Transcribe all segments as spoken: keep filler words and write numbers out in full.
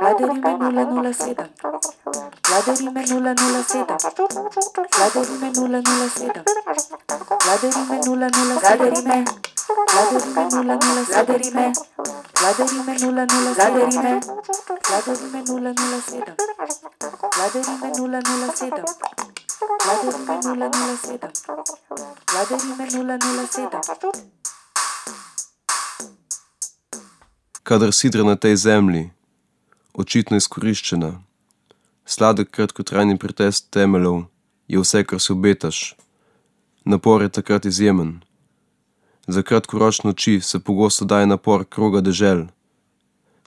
Vladarime nula nula sedem. Vladarime nula nula sedem. Vladarime nula nula sedem. Vladarime nula nula Vladarime. Vladarime nula nula Vladarime. Vladarime nula nula Vladarime. Vladarime nula nula sedem. Vladarime nula nula sedem. Vladarime nula nula sedem. Vladarime nula nula sedem. Kadar sidra na tej zemlji, očitno izkoriščena, sladek kratkotrajni pretest temeljev je vse, kar si obetaš. Napor je takrat izjemen. Za kratkoročne oči se pogosto daje napor kroga dežel.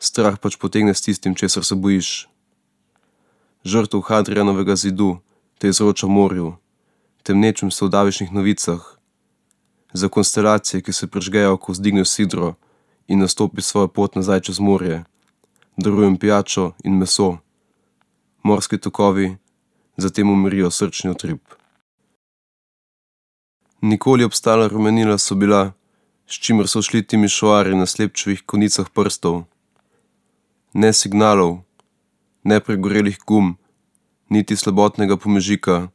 Strah pač potegne s tistim, česar se bojiš. Žrtev Hadrianovega zidu te izroča morju, temnečim se v davišnih novicah. Za konstelacije, ki se prižgejo, ko vzdigne sidro in nastopi svojo pot nazaj čez morje, darujem pijačo in meso. Morski tokovi zatem umirijo srčni utrip. Nikoli obstala rumenila so bila, s čimer so šli Timišoari na slepčevih konicah prstov. Ne signalov, ne pregorelih gum, niti slabotnega pomežika,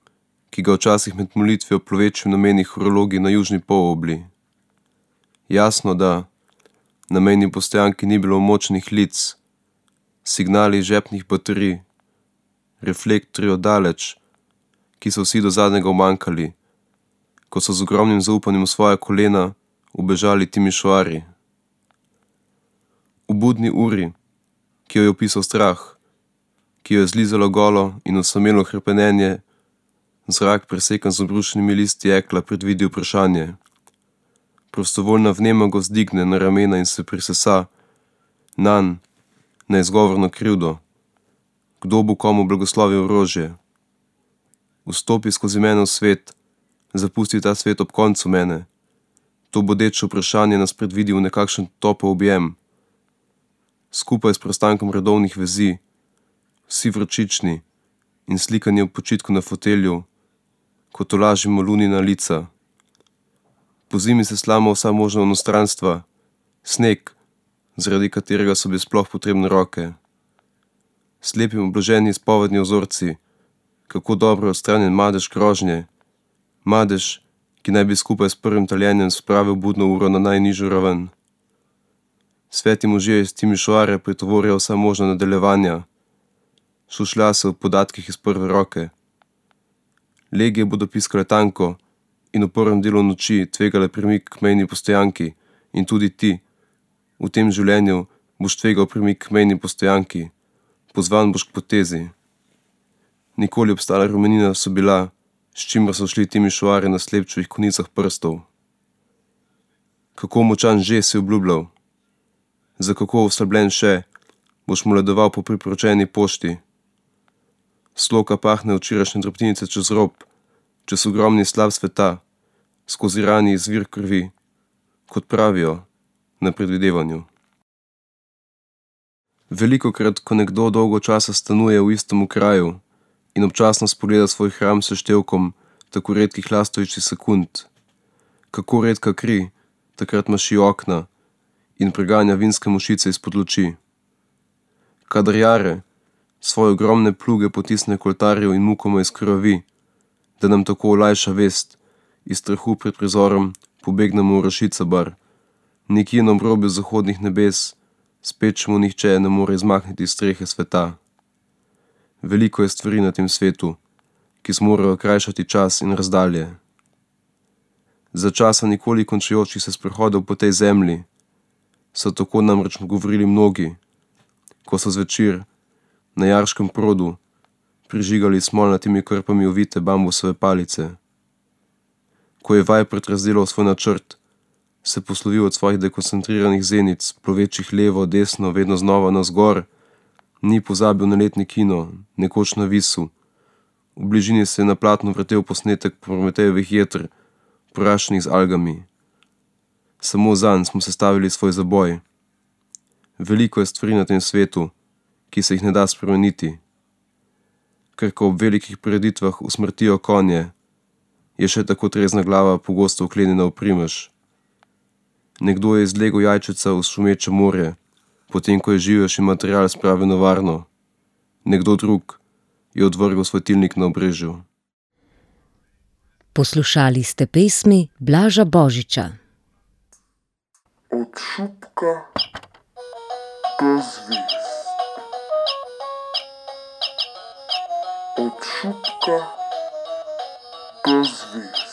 ki ga včasih med molitvijo plovečim nameni horologi na južni polobli. Jasno, da na mejni postojanki ni bilo močnih lic, signali žepnih baterij, reflektorji oddaleč, ki so vsi do zadnjega umanjkali, ko so z ogromnim zaupanjem v svoja kolena ubežali Timišoari. V budni uri, ki jo je opisal strah, ki jo je zlizalo golo in osamelo hrepenenje, zrak presekan z obrušenimi listi jekla predvidi vprašanje. Prostovoljna vnema go zdigne na ramena in se prisesa, nanj, na izgovorno krivdo. Kdo bo komu blagoslovil orožje? Vstopi skozi mene v svet, zapusti ta svet ob koncu mene. To bodeče vprašanje nas predvidi v nekakšen topel objem. Skupaj s preostankom redovnih vezi, vsi vročični in slikanje v počitku na fotelju, ko tolažimo lunina lica. Po zimi se slama vsa možna onostranstva, sneg, zaradi katerega so bi sploh potrebne roke. Slepi obloženi izpovedni ozorci, kako dobro odstranjen madež grožnje, madež, ki naj bi skupaj s prvim taljenjem spravil budno uro na najnižjo raven. Sveti možje iz Timišoare pretovorijo vsa možna nadaljevanja, šušlja se v podatkih iz prve roke. Legije bodo piskale tanko in v prvem delu noči tvegale premik k mejni postojanki in tudi ti, v tem življenju, boš tvegal premik k mejni postojanki, pozvan boš k potezi. Nikoli obstala rumenina so bila, s čimer so šli Timišoari na slepčevih konicah prstov. Kako močan že si obljubljal, za kako oslabljen še, boš mu ledoval po priporočeni pošti. Sloka pahne včerajšnje drobtinice čez rob, čez ogromni slab sveta, skozi rani izvir krvi, kot pravijo, na predvidevanju. Velikokrat, ko nekdo dolgo časa stanuje v istem kraju in občasno spogleda svoj hram s števkom tako redkih lastovičnih sekund, kako redka kri takrat maši okna in preganja vinske mušice izpod luči. Kadar jare svoje ogromne pluge potisne k oltarju in mukoma izkrvavi, da nam tako olajša vest, iz strahu pred prizorom pobegnemo v Rašica bar, nekje na obrobju zahodnih nebes, spet čemu nihče ne more izmakniti strehe sveta. Veliko je stvari na tem svetu, ki zmorejo krajšati čas in razdalje. Za časa nikoli končujočih se sprehodov po tej zemlji so tako namreč govorili mnogi, ko so zvečer na jarškem produ prižigali smolnatimi krpami ovite bambusove palice. Ko je Vajpert razdelal svoj načrt, se poslovil od svojih dekoncentriranih zenic, plovečih levo, desno, vedno znova navzgor, ni pozabil na letni kino, nekoč na Visu. V bližini se je na platnu vrtel posnetek Prometejevih jeter, porašenih z algami. Samo zanj smo sestavili svoj zaboj. Veliko je stvari na tem svetu, ki se jih ne da spremeniti. Ker ko ob velikih prireditvah usmrtijo konje, je še tako trezna glava pogosto vklenjena v primež. Nekdo je izlegel jajčeca v šumeče morje, potem ko je živejši material spravil na varno. Nekdo drug je odvrgel svetilnik na obrežju. Poslušali ste pesmi Blaža Božiča. Od šupka do zvezd. Od šupka do zvezd.